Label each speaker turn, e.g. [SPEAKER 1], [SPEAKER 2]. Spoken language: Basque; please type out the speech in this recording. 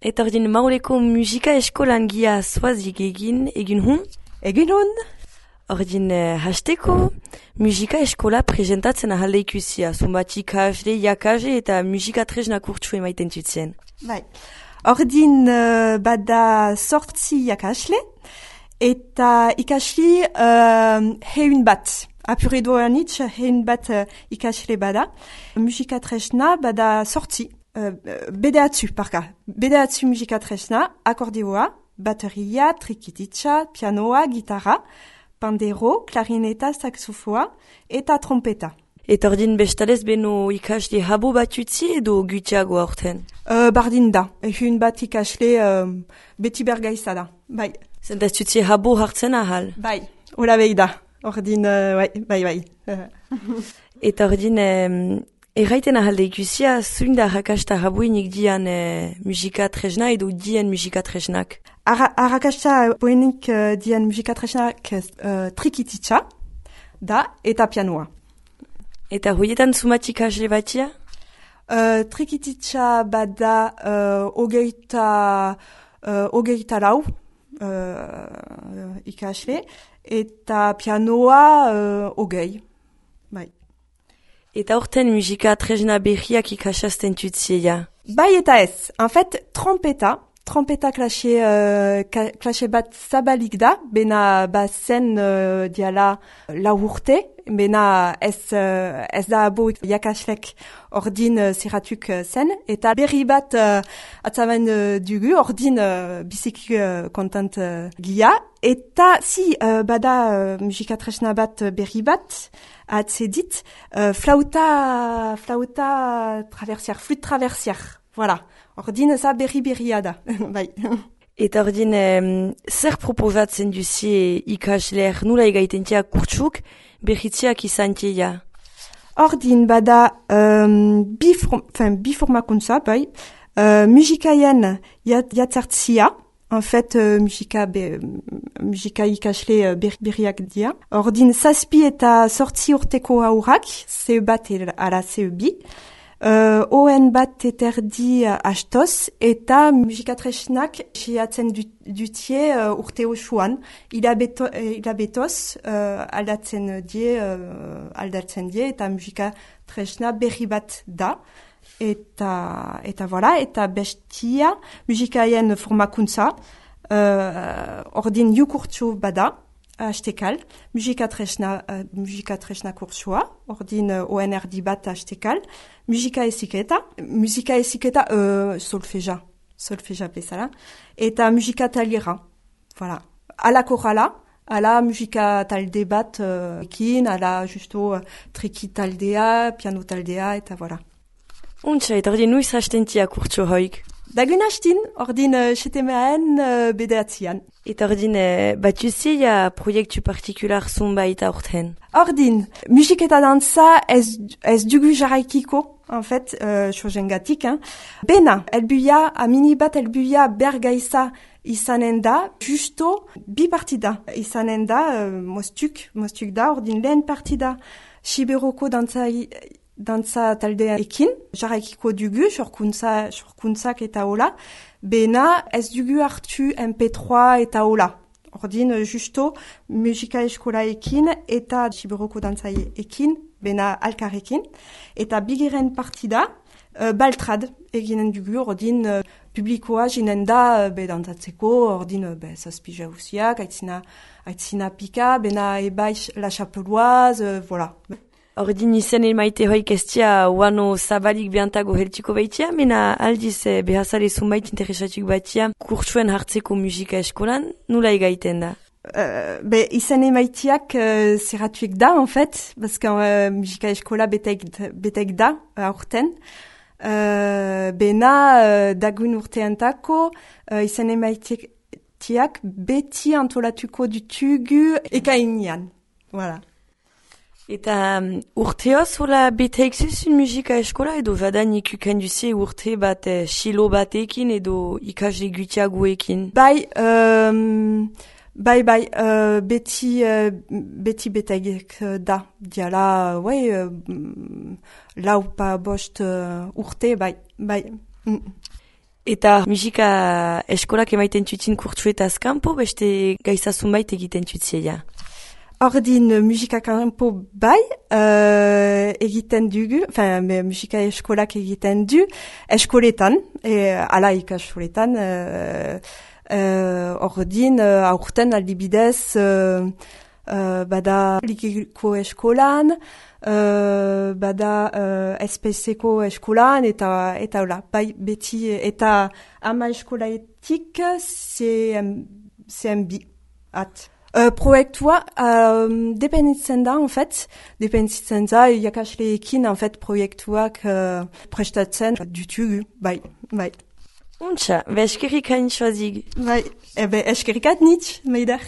[SPEAKER 1] Eta ordin mauleko musika eskolan gia zoazik egin hun?
[SPEAKER 2] Egin hun?
[SPEAKER 1] Ordin hasteko musika eskola presentatzen ahalde ikusia. Zumbat ikasle, iakasle eta musika tresna kurtsu emaiten tutzen.
[SPEAKER 2] Bai. Ordin bada sortzi iakasle eta ikasli heun bat. Apure doan itx heun bat ikasle bada. Musika tresna bada sortzi. Bedeatzu, parka. Bedeatzu musika tresna, akordeoa, bateria, trikititsa, pianoa, gitarra, pandero, klarineta, saxofoa, eta trompeta.
[SPEAKER 1] Eta ordin bestalez beno ikasle habo bat utzi edo gutiago aurten?
[SPEAKER 2] Bardin da. Ehun bat ikasle beti bergaiza da. Bai.
[SPEAKER 1] Zentaz utzi habo hartzen ahal?
[SPEAKER 2] Bai. Ola behi da. Ordin, bai.
[SPEAKER 1] Eta ordin... Erraiten ahalde ikusia, zuin da harrakasta habuenik dian musika tresna edo dien musika tresnak?
[SPEAKER 2] Harrakasta habuenik dien musika tresnak trikititsa da eta pianoa.
[SPEAKER 1] Eta hoietan zumatik asle batia?
[SPEAKER 2] Trikititsa bada hogeita lau ikasle eta pianoa hogei. Bai.
[SPEAKER 1] Eta horten musika tresna berriak ikasazten tutzia?
[SPEAKER 2] Bai eta ez. En fait, trompeta klase bat zabalik da, bena bazen diala lau urte, bena ez da abo jakaslek ordin zeratuk zen, eta berri bat atzaben dugu, ordin biziki kontant gia, eta bada musika tresna bat berri bat, atzedit, flauta traversiar, flûte traversiar, voilà. Ordin za berria da, bai.
[SPEAKER 1] Eta ordin, zer proposatzen duzie ikasleer nula egaitentia kurtsuk, berritziak izantia?
[SPEAKER 2] Ordin bada biformakuntza, bai, musikaien jatzartzia, en fait, musika ikasle berriak dia. Ordin zazpi eta sortzi urteko aurrak, CE bat ala CE bi. ON bat eterdi astoz, eta musika tresnak siatzen dutie urte osoan. Hilabetoz aldatzen die, eta musika tresna berri bat da. Eta voilà, eta bestia musikaien formakuntza, ordin jukurtsu bada, hastekal, musika tresna kursua, ordin ONRD bat hastekal, musika eziketa, solfeja bezala, eta musika taliera, voilà. Ala korala, ala musika talde bat ekin, ala justo triki taldea, piano taldea, eta voilà.
[SPEAKER 1] Untsa, eta ordin nuiz hastentia kurtso hoik?
[SPEAKER 2] Dagun hastin, ordin setemeen bedeatzian.
[SPEAKER 1] Eta ordin batuzia proiektu partikular zunbait aurten?
[SPEAKER 2] Ordin, musik eta dantza ez dugu jarraikiko, en fait, sojengatik. Bena, amini bat elbuia bergaiza izanen da, justo bi partida izanen da, mostuk da, ordin lehen partida Siberoko dantza taldea ekin, jarraikiko dugu, sorkuntzak eta hola, bena ez dugu hartu MP3 eta hola. Ordin, justo, musika eskola ekin eta Siberoko dantza ekin, bena alkarrekin, eta bigiren partida, baltrad eginen dugu, ordin, publikoa jinen da, dantzatzeko, ordin, zazpi jauziak, aitzina pika, bena ebai la chapeloise, voilà.
[SPEAKER 1] Ordin izen emaite hoik estia uano zabalik behantago heltiko baitia, mena aldiz behazale zunbait interesatuk batia kurtsuen hartzeko musika eskolan, nula egaiten da?
[SPEAKER 2] Izen emaitiak zeratuik da, en fait, bazka musika eskola betek da, aurten. Bena dagun urteantako izen emaitiak beti antolatuko dutugu ekainian, voilà.
[SPEAKER 1] Eta urteoz hola beteik zuzun musika eskola edo jadan ikuken duzie urte bat xilo batekin edo ikasle gutiagoekin?
[SPEAKER 2] Bai, beti beteik da. Diala, lau pa bost urte, bai.
[SPEAKER 1] Eta musika eskolak emaiten tutzin kurtsuetaz kanpo, beste gaizasun bait egiten tutzia.
[SPEAKER 2] Ordin musika kanpo bai, egiten dugu, musika eskolak egiten du, eskoletan, ala ikastoletan, ordin aurten aldibidez, bada likiko eskolan, bada SPC-ko eskolan, eta hola, bai beti, eta ama eskolaetik CMB at. Proiektua dependitzen da, en fait, dependitzen da, irakasleekin, en fait, proiektuak prestatzen dutugu, bai.
[SPEAKER 1] Untxa, eskerrik hain soazig.
[SPEAKER 2] Bai, eskerrikat nitz, meider.